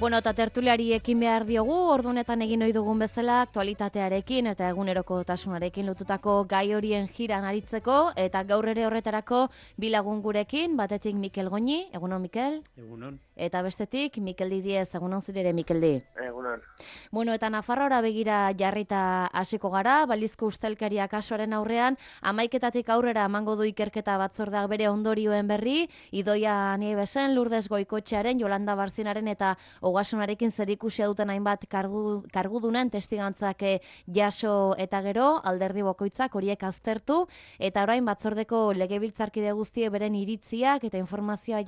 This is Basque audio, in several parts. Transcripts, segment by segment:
Bueno, eta tertuliari ekin behar diogu, ordunetan egin ohi dugun bezala, aktualitatearekin eta egunerokotasunarekin lotutako gai horien jiran aritzeko, eta gaur ere horretarako bi lagun gurekin, batetik Mikel Goñi, egunon Mikel? Egunon. Eta bestetik Mikel Didiez, egunon zirere Mikel Di. Egunon. Bueno, eta Nafarroara begira jarrita hasiko gara, balizko ustelkeria kasuaren aurrean, 11 aurrera emango du ikerketa batzordeak bere ondorioen berri, Idoia Niebesen, Lourdes Goikotxearen, Jolanda Barzinaren eta Ogasunarekin zerikusia duten hainbat kargudunen testigantzak jaso eta gero, alderdi bakoitzak horiek aztertu, eta orain batzordeko legebiltzarkide guztiek beren iritziak eta informazioa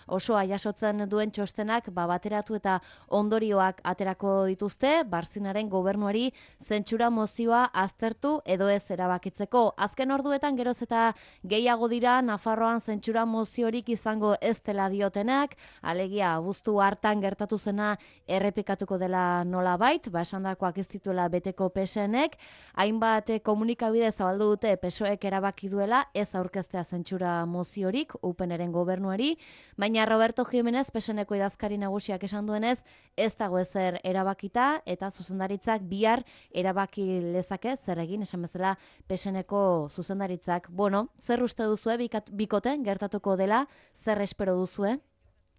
osoa jasotzen duen txostenak bateratu eta ondorioak aterako dituzte, Barzinaren gobernuari zentsura mozioa aztertu edo ez erabakitzeko. Azken orduetan geroz eta gehiago dira Nafarroan zentsura moziorik izango ez dela diotenak, alegia abuztu hartan gertatu zena errepikatuko dela nolabait, esandakoak ez dituela beteko PSNek, hainbat komunikabide zabaldu dute PSOEk erabaki duela ez aurkeztea zentsura moziorik UPNren gobernuari, baina Roberto Jimenez PSNeko idazkari nagusiak esan duenez ez dago ezer erabakita eta zuzendaritzak bihar erabaki lezake zer egin, esan bezala PSNeko zuzendaritzak. Bueno, zer uste duzue bikoten gertatuko dela, zer espero duzue?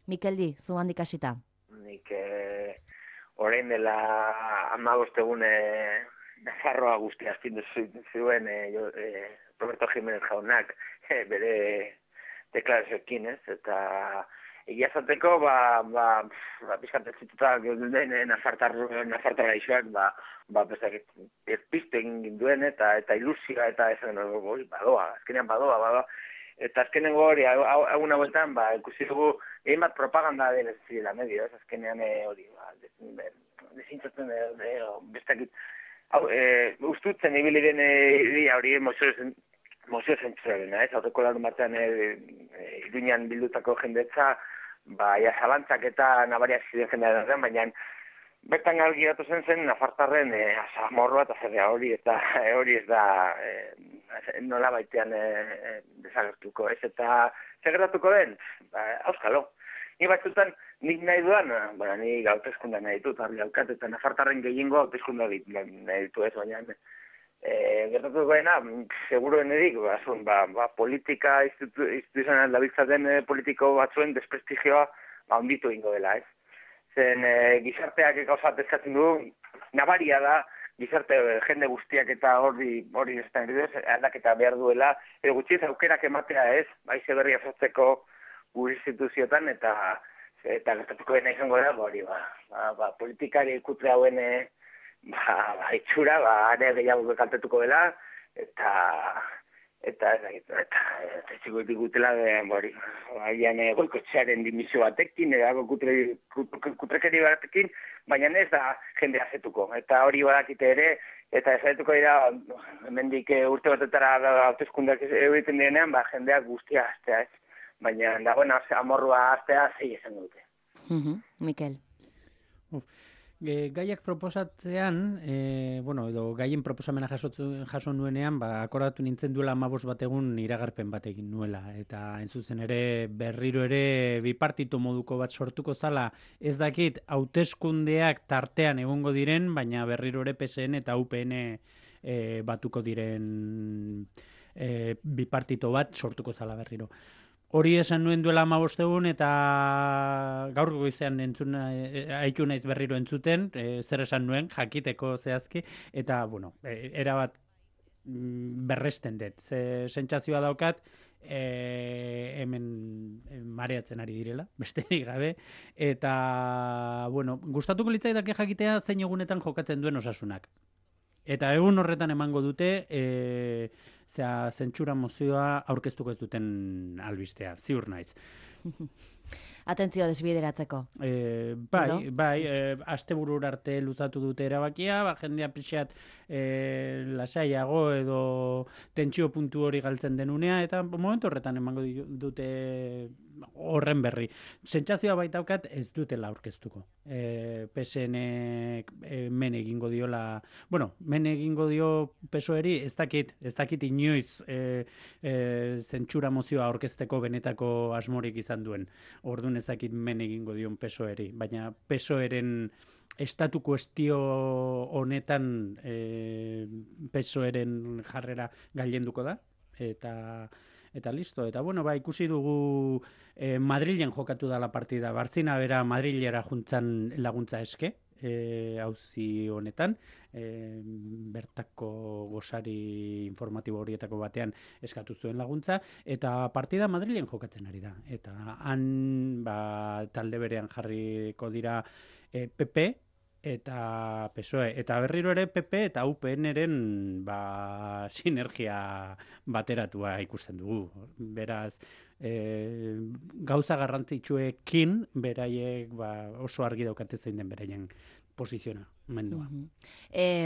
Mikel Di, zu handik hasita. Nik orain dela 15 egun Nafarroa guztia astindu zuen Roberto Jimenez jaunak bere deklarazioekin, ez? Eta egia zateko, pizkat ez zituta den Nafartarra isoak, pizte egin duen eta ilusioa eta esan badoa, azkenean badoa. Eta azkenengo hori, egun hauetan, ikusi dugu, egin bat propaganda den ez zirela medio, ez azkenean hori, desintzatzen bestakit, ustutzen ibili den idea hori mozio zentzurarena, ez, aurreko larun batean Iruñan bildutako jendetza, zalantzak eta nabariak ziren jendea den, baina bertan galgiratu zen Nafartarren amorroa eta zerrea hori, eta hori ez da nola baitean desagertuko, ez, eta segertatuko den, auskalo. Ni batzutan, nik nahi duan, ni hauteskunda nahi ditut, argi daukat, eta Nafartarren gehiengo hauteskunda nahi ditu ez, baina gertatuko dena, seguruen edik, politika instituzional dabiltzaten politiko batzuen desprestigioa onditu ingo dela, ez? Zen gizarteak gauzat eskatzen du, nabaria da, gizarte jende guztiak eta hori aldaketa behar duela, edo gutxiez aukerak ematea ez, baize berria sortzeko gure instituzioetan, eta gertatuko dena izango da, politikari ikutre hauen itxura, are gehiago kaltetuko dela, eta txiko ditugutela, Goikotxearen dimisio batekin, kutrekeri batekin, baina ez da jende azetuko. Eta hori badakite ere, eta ezaituko dira, hemendik urte batetara hauteskundeak egiten direnean, jendeak guztia aztea ez. Baina dagoen amorrua aztea zei esan dute. Mikel. Gaiak proposatzean, edo gaien proposamena jaso nuenean, akordatu nintzen duela 15 bat egun iragarpen bat egin nuela. Eta entzuzen ere berriro ere bipartito moduko bat sortuko zala, ez dakit hauteskundeak tartean egongo diren, baina berriro ere PSN eta UPN batuko diren bipartito bat sortuko zala berriro. Hori esan nuen duela 15 egun eta gaur goizean haitu naiz berriro entzuten, zer esan nuen, jakiteko zehazki, eta, erabat berresten dut. Sentsazioa daukat, hemen mareatzen ari direla, besterik gabe, eta, gustatuko litzaidake jakitea zein egunetan jokatzen duen Osasunak. Eta egun horretan emango dute, zentsura mozioa aurkeztuko ez duten albistea, ziur naiz. Atentzioa desbideratzeko. Asteburura arte luzatu dute erabakia, jendea pixat lasaiago edo tentsio puntu hori galtzen denunea, eta momentu horretan emango dute horren berri. Sentsazioa baitaukat ez dutela aurkeztuko. PSN men egingo diola, men egingo dio PSOEri, ez dakit inoiz zentsura mozioa aurkezteko benetako asmorik izan duen. Orduan ezakit men egingo dion PSOEri, baina PSOEren estatu kuestio honetan PSOEren jarrera gailenduko da, eta listo. Eta bueno, ikusi dugu Madrilen jokatu da la partida. Barzina bera Madrilera juntzan laguntza eske, auzi honetan, bertako gosari informatibo horietako batean eskatu zuen laguntza, eta partida Madrilen jokatzen ari da. Eta han talde berean jarriko dira PP eta PSOE, eta berriro ere PP eta UPN-eren sinergia bateratua ikusten dugu. Beraz, gauza garrantzitsuekin beraiek oso argi daukate zein den beraien posizionamendua.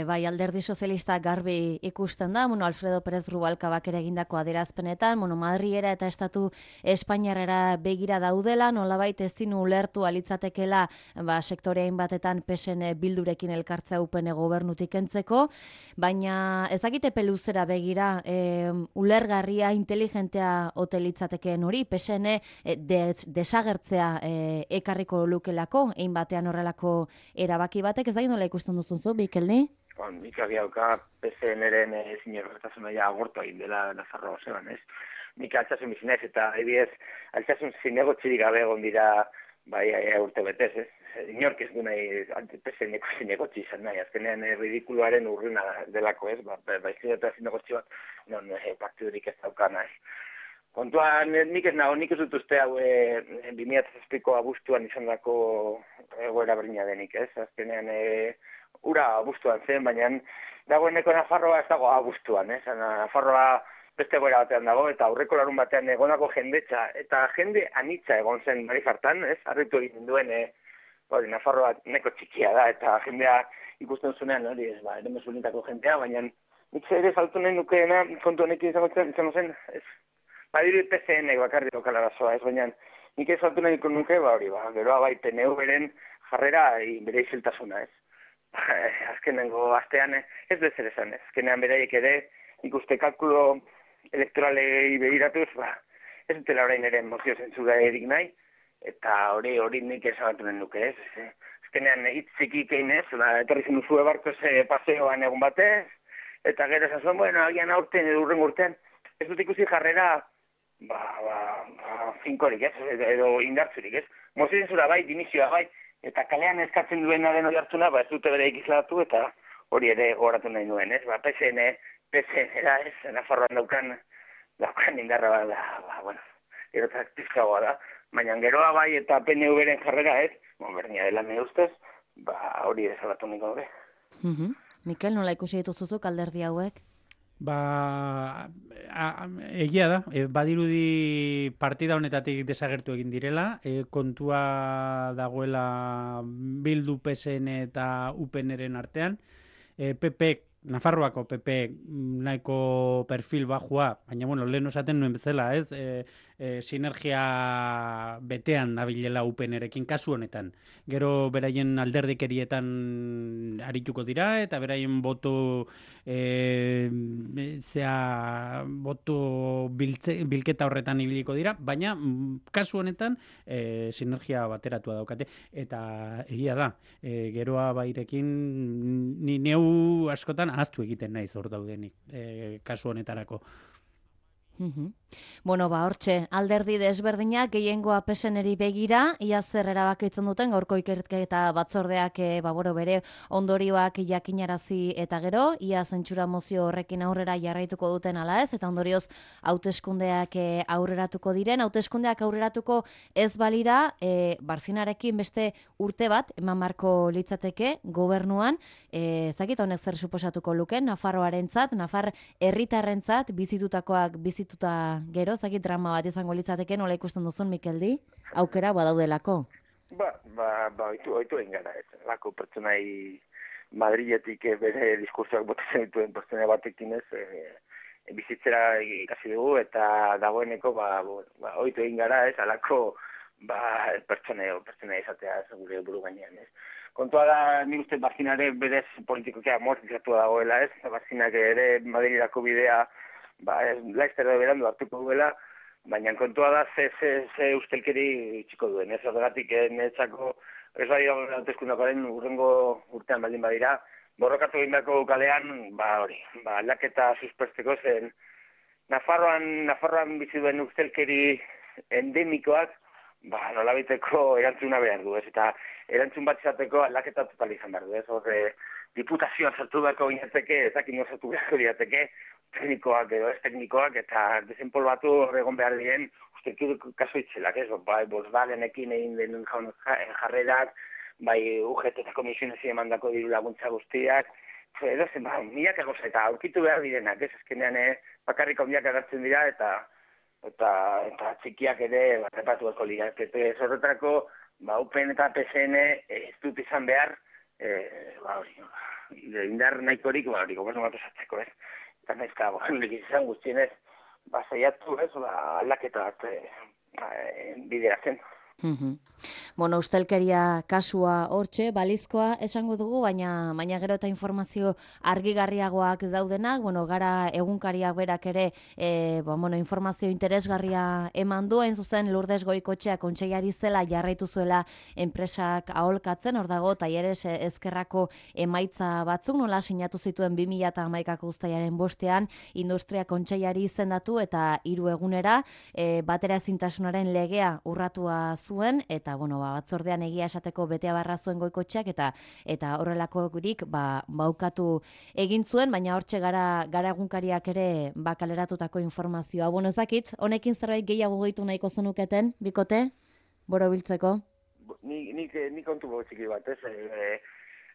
Bai, Alderdi Sozialista garbi ikusten da, Alfredo Pérez Rubalcabak ere egindako adierazpenetan, Madrilera eta Estatu Espainiarrera begira daudela, nolabait ezin ulertu alitzatekela sektoreain batetan PSN Bildurekin elkartzea UPN gobernutik kentzeko, baina ezakite peluzera begira ulergarria, inteligentea ote litzatekeen hori, PSN desagertzea ekarriko lukelako, ein batean horrelako erabaki batek, ez da nola ikusten duzun zu, Mikelni? Nik abiauka PSN-eren zinerrotasuna agortu egin dela Nafarroa zeban, ez? Nik altsasun bizinez, eta ebiez altsasun zinegotxirik gabe egon dira urte betez, ez? Inork ez du nahi PSN-eko zinegotxi izan nahi, azkenean ridikuloaren urruna delako, ez? Baizik eta zinegotxi bat, non partidurik ez dauka nahi. Kontuan, nik ez dut uste hau 2007ko abuztuan izan dako egoera berdina denik, ez? Azkenean, ura abuztuan zen, baina dagoeneko Nafarroa ez dago abuztuan, ez? Nafarroa beste egoera batean dago, eta aurreko larun batean egonako jendetza, eta jende anitza egon zen Marifartan, ez? Arritu egin duen, Nafarroa neko txikia da, eta jendea ikusten zunean, hori ez, ere mesulinetako jendea, baina nik ere saltu nahi nukeena, kontu honekin izango zen, ez? Badiru PSN bakarrik okala arazoa, ez baina nik ez saltu nahi nuke, geroa PNV-ren jarrera bere isiltasuna, ez. Azkenengo astean ez bezer esan, ez. Azkenean beraiek ere ikuste kalkulo elektoralei begiratuz, ez dutela orain ere mozio zentzura erik nahi, eta hori nik esabatu nahi nuke, ez. Azkenean hitzikik egin ez, etorri zen duzue barkoz paseoan egun batez, eta gero esan zuen, agian aurten edo urren urtean, ez dut ikusi jarrera finkorik, ez, edo indartzurik, ez. Mozio zentzura dimizioa eta kalean eskatzen duena den hori hartzuna, ez dute bere ikizlatu, eta hori ere goratu nahi nuen, ez. PSN-era, ez, Nafarroan daukan indarra gero taktizkagoa da, baina geroa eta PNV-ren jarrera, ez, bernia dela me ustez, hori desalatu nahi gaur. Mikel, nola ikusi dituzuzuk alderdi hauek? Egia da, badirudi partida honetatik desagertu egin direla, kontua dagoela Bildu, PSN eta UPN-eren artean, Nafarroako PP nahiko perfil bajua, baina lehen osaten nuen bezala, ez? Sinergia betean nabilela UPN-erekin kasu honetan. Gero beraien alderdikerietan arituko dira, eta beraien boto bilketa horretan ibiliko dira, baina kasu honetan sinergia bateratua daukate, eta egia da, geroa bairekin ni neu askotan ahaztu egiten naiz hor daudenik, kasu honetarako. Hortxe, alderdi desberdinak gehiengoa PSN-eri begira, ia zer erabakitzen duten gaurko ikerketa batzordeak bere ondorioak jakinarazi eta gero, ia zentsura mozio horrekin aurrera jarraituko duten ala ez, eta ondorioz hauteskundeak aurreratuko diren, hauteskundeak aurreratuko ez balira, Barzinarekin beste urte bat, eman marko litzateke gobernuan, zakit honek zer suposatuko luken, Nafarroarentzat, Nafar herritarrentzat bizitutakoak bizituta gero, zakit drama bat izango litzateke, nola ikusten duzun, Mikeldi? Aukera badaudelako? Oitu egin gara, ez. Lako pertsonai Madriletik bere diskursoak botatzen dituen pertsona batekin ez, bizitzera ikasi dugu, eta dagoeneko, oitu egin gara, ez, alako pertsona izatea gure buru gainean, ez. Kontua da, nik uste Barzinare berez politikokia amortizatua dagoela, ez. Barzinak ere Madrilako bidea, laizter da berandu hartuko duela, baina kontua da ze ustelkeri txiko duen, ez horregatik netzako, ez bai hauteskundakaren urrengo urtean baldin badira, borrokatu egin beharko kalean, aldaketa suspesteko zen, Nafarroan bizi duen ustelkeri endemikoak, nolabiteko erantzuna behar du, ez? Eta erantzun bat izateko aldaketa total izan behar du, ez? Horre, diputazioa sartu beharko ginateke, ezakin sartu beharko ginateke, teknikoak edo ez teknikoak, eta desenpolbatu horregon behar diren, ustelkeri kaso itzelak, ez? Volkswagenekin egin den jarrerak, bai UGT eta komisionezi emandako diru laguntza guztiak, edo zen, milaka goza, eta aurkitu behar direnak, ez? Ezkenean bakarrik handiak agertzen dira, eta txikiak ere repatu beharko lirak. Horretarako, UPN eta PSN ez dut izan behar, indar nahikorik, gobernu bat esatzeko, ez? Eta naizka, izan guztienez, saiatu, ez? Aldaketa bat bideratzen. Bueno, ustelkeria kasua hortxe, balizkoa esango dugu, baina gero eta informazio argigarriagoak daudenak, gara egunkariak berak ere informazio interesgarria eman du, hain zuzen Lourdes Goikotxea kontseiari zela jarraitu zuela enpresak aholkatzen, hor dago Talleres Ezkerrako emaitza batzuk, nola sinatu zituen 2011ko uztailaren 5ean industria kontseiari izendatu eta 3 egunera bateraezintasunaren legea urratua zuen, eta batzordean egia esateko beteabarra zuen Goikotxeak eta horrelakorik baukatu egin zuen, baina hortxe gara egunkariak ere kaleratutako informazioa. Ez dakit, honekin zerbait gehiago gehitu nahiko zenuketen, bikote, borobiltzeko? Nik kontu txiki bat, ez?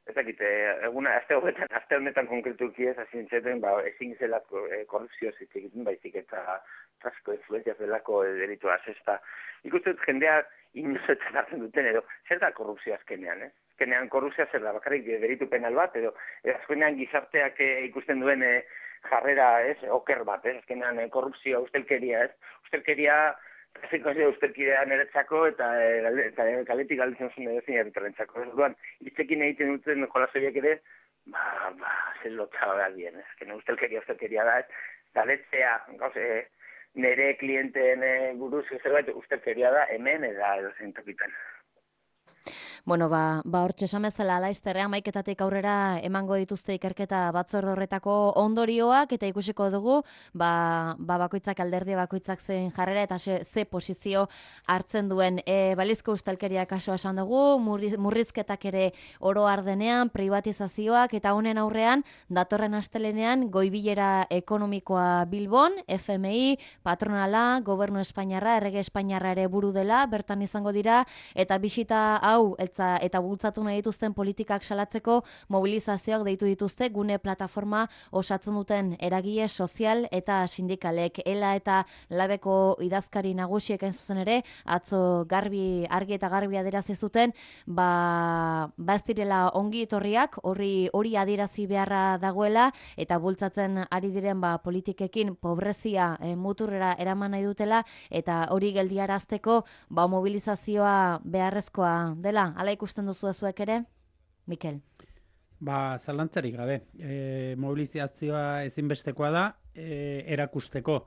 Ez dakit, aste honetan konkretuki ez, azintzeten, ezin zelako korrupzio egiten baizik eta trafiko influenzia zelako delitua zesta. Ikusten dut jendeak inozetzen hartzen duten edo, zer da korrupzioa azkenean, ez? Azkenean korrupzioa zer da, bakarrik delitu penal bat, edo azkenean gizarteak ikusten duen jarrera, ez? Oker bat, ez? Azkenean korrupzioa, ustelkeria, ez? Ustelkeria, ustelkeria niretzako eta kaletik galditzen zuen edo zein herritarrentzako. Ez duan, hitzekin egiten duten jolasoiek ere, zer lotxaba behar dien, ez? Azkenean ustelkeria da, ez? Galetzea, nire klienteen buruz zerbait ustelkeria da hemen edo zein tokitan. Hortxe esan bezala laizterrean maiketatik aurrera emango dituzte ikerketa batzorde horretako ondorioak eta ikusiko dugu bakoitzak alderdi bakoitzak zen jarrera eta ze posizio hartzen duen. Balizko ustelkeria kasua esan dugu, murrizketak ere oro ardenean, privatizazioak eta honen aurrean datorren astelenean goibilera ekonomikoa Bilbon, FMI, patronala, gobernu Espainiarra, errege Espainiarra ere buru dela, bertan izango dira eta bisita hau eta bultzatu nahi dituzten politikak salatzeko mobilizazioak deitu dituzte gune plataforma osatzen duten eragile sozial eta sindikalek. Ela eta Labeko idazkari nagusiek hain zuzen ere atzo argi eta garbi adierazi zuten ez direla ongi etorriak, hori adierazi beharra dagoela eta bultzatzen ari diren politikekin pobrezia muturrera eraman nahi dutela eta hori geldiarazteko mobilizazioa beharrezkoa dela. Hala ikusten duzu zuek ere, Mikel? Zalantzarik gabe. Mobilizazioa ezinbestekoa da, erakusteko.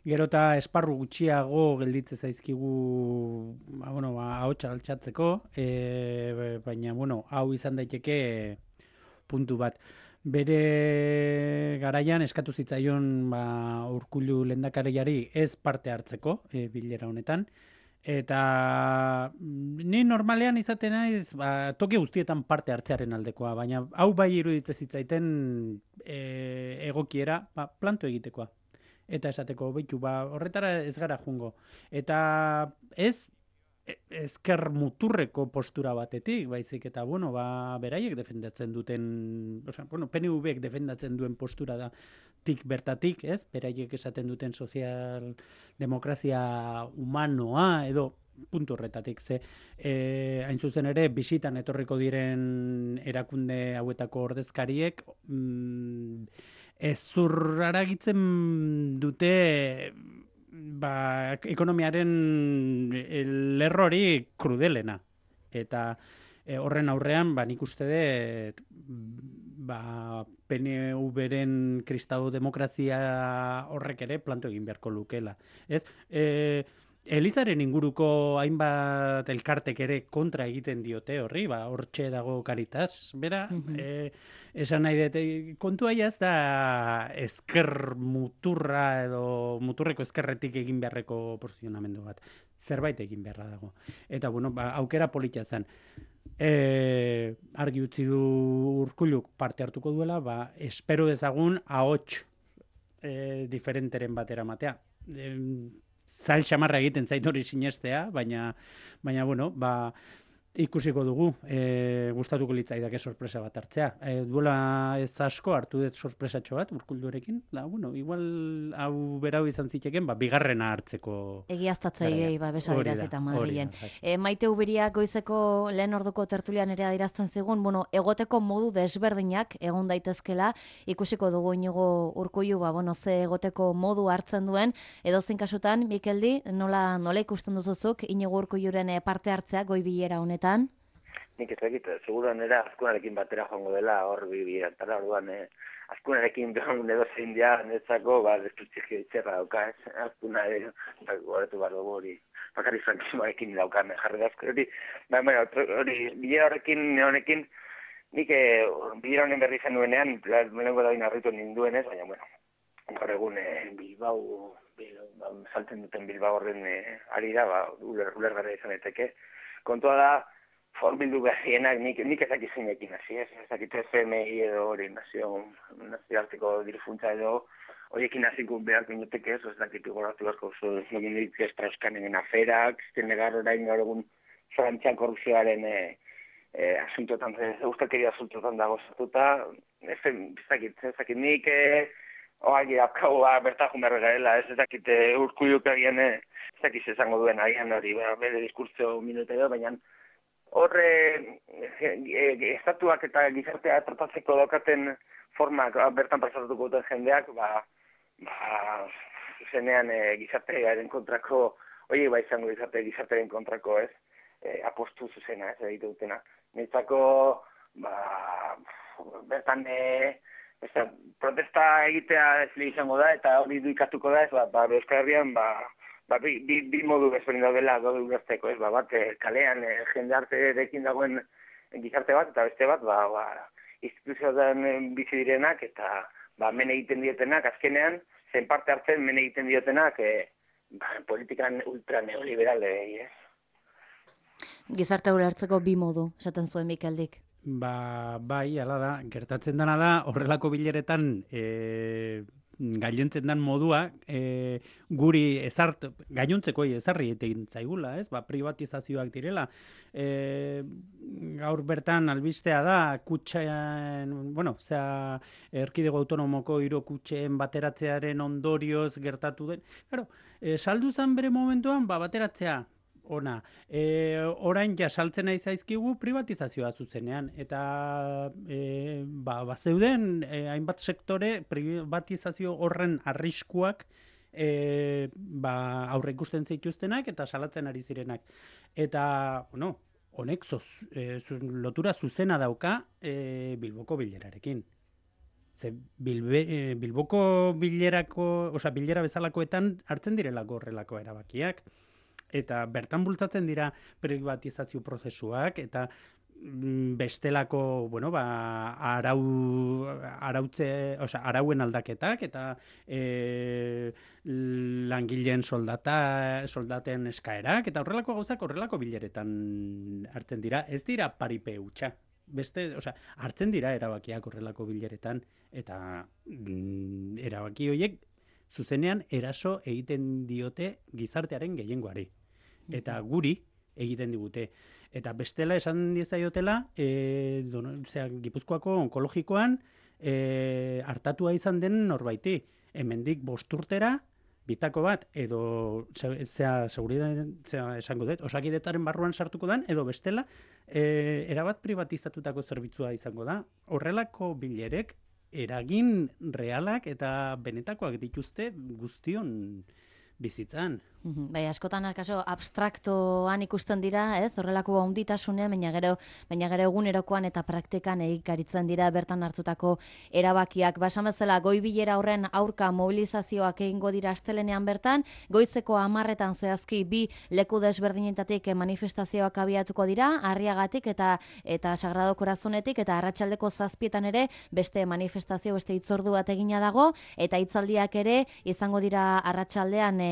Gero eta esparru gutxiago gelditze zaizkigu ahotsa altxatzeko, baina, hau izan daiteke puntu bat. Bere garaian eskatu zitzaion Urkullu lehendakariari ez parte hartzeko bilera honetan, eta ni normalean izaten naiz toki guztietan parte hartzearen aldekoa, baina hau bai iruditzen zitzaiten egokiera planto egitekoa. Eta esateko, horretara ez gara jungo. Eta ez ezker muturreko postura batetik, baizik eta, beraiek defendatzen duten, PNV-ek defendatzen duen postura da bertatik, ez? Beraiek esaten duten sozialdemokrazia humanoa, edo puntu horretatik, hain zuzen ere, bisitan etorriko diren erakunde hauetako ordezkariek, ezur aragitzen dute ekonomiaren lerrori krudelena. Eta horren aurrean, nik uste dut, PNV-ren kristau demokrazia horrek ere planto egin beharko lukela. Ez? Elizaren inguruko hainbat elkartek ere kontra egiten diote horri, hortxe dago Caritas, bera, esan nahi dut, kontua ez da ezker muturra edo muturreko ezkerretik egin beharreko posizionamendu bat. Zerbait egin beharra dago. Eta, bueno, aukera polita zen. Argi utzi du Urkulluk parte hartuko duela, espero dezagun ahots diferenteren batera matea. Zail xamarra egiten zait hori sinestea, baina bueno, ikusiko dugu, gustatuko litzaidake sorpresa bat hartzea. Duela ez asko hartu dut sorpresatxo bat Urkullurekin, bueno, igual hau berau izan ziteken, bigarrena hartzeko. Egiaztatzaileei besadiraz eta Madrilen. Maite Ubiriak goizeko lehen orduko tertulian ere adirazten zigun, egoteko modu desberdinak egon daitezkela, ikusiko dugu Inigo Urkullu, ze egoteko modu hartzen duen, edozein kasutan, Mikeldi, nola ikusten duzuzuk Inigo Urkulluren parte hartzea goi bilera honetan? Nik ez dakit, seguruan era Azkunarekin batera joango dela hor bibiratara, orduan Azkunarekin edo zein dia netzako, desputxikio itxerra dauka, ez? Azkuna horretu behar dugu hori, bakarri frankismoarekin daukan jarri da hori, bilera honekin, nik bilera honen berri zen nuenean, lehenko da binarritu ninduenez, baina, gaur egun Bilbao, saltzen duten Bilbao horren ari da, ulergarra izan eteke. Kontua da, forbildu behienak nik ezakizinekin hasi, ez dakit FMI edo hori nazioarteko dirufuntza edo horiekin hasiko beharko inoteke ez dakit goratu beharko egin ditu Strauss-Kahnen aferak, zenegar orain gaur egun Frantzian korrupzioaren asuntotan, ustelkeria asuntotan dago zatuta, ez dakit nik oagi apkau bertajun behar garela, ez dakit Urkulluk agian ez dakit esango duen agian hori, bere diskurtso minuta edo, baina horre estatuak eta gizartea tratatzeko daukaten formak bertan pasatuko duten jendeak, zenean gizartearen kontrako, izango gizartearen kontrako ez, apostu zuzena ez egite dutena. Niretzako, bertan protesta egitea ez izango da, eta hori duikatuko da ez, Euskal Herrian, bi modu bezberdin daudela gaudu gertzeko, ez, bat kalean jende arterekin dagoen gizarte bat, eta beste bat, instituzioetan bizi direnak, eta men egiten dietenak, azkenean, zen parte hartzen men egiten diotenak, politikan ultra neoliberalei, ez? Gizarte hori hartzeko bi modu, esaten zuen Mikeldik. Bai, ala da, gertatzen dena da, horrelako bileretan gainontzen den modua, guri gainontzekoi ezarri egin zaigula, ez? Privatizazioak direla. Gaur bertan albistea da, kutxean, erkidego autonomoko 3 kutxeen bateratzearen ondorioz gertatu den. Saldu zen bere momentuan, bateratzea, ona. Orain saltzen nahi zaizkigu privatizazioa zuzenean. Eta bazeuden hainbat sektore privatizazio horren arriskuak aurre ikusten zituztenak eta salatzen ari zirenak. Eta, honek lotura zuzena dauka Bilboko bilerarekin. Bilboko bilera bezalakoetan hartzen direlako horrelako erabakiak. Eta bertan bultzatzen dira privatizazio prozesuak, eta bestelako, arauen aldaketak, eta langileen soldaten eskaerak, eta horrelako gauzak horrelako bileretan hartzen dira. Ez dira paripe hutsa. Hartzen dira erabakiak horrelako bileretan, eta erabaki horiek zuzenean eraso egiten diote gizartearen gehiengoari. Eta guri egiten digute. Eta bestela esan diezaiotela, Gipuzkoako onkologikoan hartatua izan den norbaiti. Hemendik 5 urtera, bitako bat, edo esango dut, Osakidetzaren barruan sartuko den, edo bestela, erabat privatizatutako zerbitzua izango da. Horrelako bilerek eragin realak eta benetakoak dituzte guztion bizitzan. Bai, askotan akaso abstraktoan ikusten dira, ez? Horrelako handitasune, baina gero egunerokoan eta praktikan egikaritzen dira bertan hartutako erabakiak. Basan bezala, goi bilera horren aurka mobilizazioak egingo dira astelenean bertan, goizeko 10etan zehazki bi leku desberdinetatik manifestazioak abiatuko dira, Arriagatik eta Sagrado Corazonetik, eta arratsaldeko 7etan ere beste manifestazio, beste hitzordu bat egina dago, eta hitzaldiak ere izango dira arratsaldean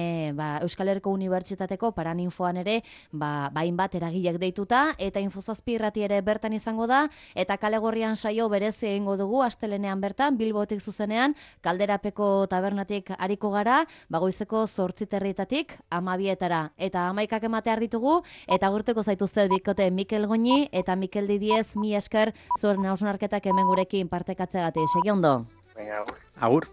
Euskal Herriko Unibertsitateko Paraninfoan ere, hainbat eragilek deituta, eta Info7 irrati ere bertan izango da, eta Kale Gorrian saio berezi egingo dugu astelenean bertan, Bilbotik zuzenean, Kalderapeko tabernatik ariko gara, goizeko 8:30 12etara, eta 11ak ematear ditugu, eta agurteko zaituzte bikote Mikel Goñi eta Mikel Didiez, mi esker zuen hausnarketak hemen gurekin partekatzeagatik. Segi ondo. Venga, Agur.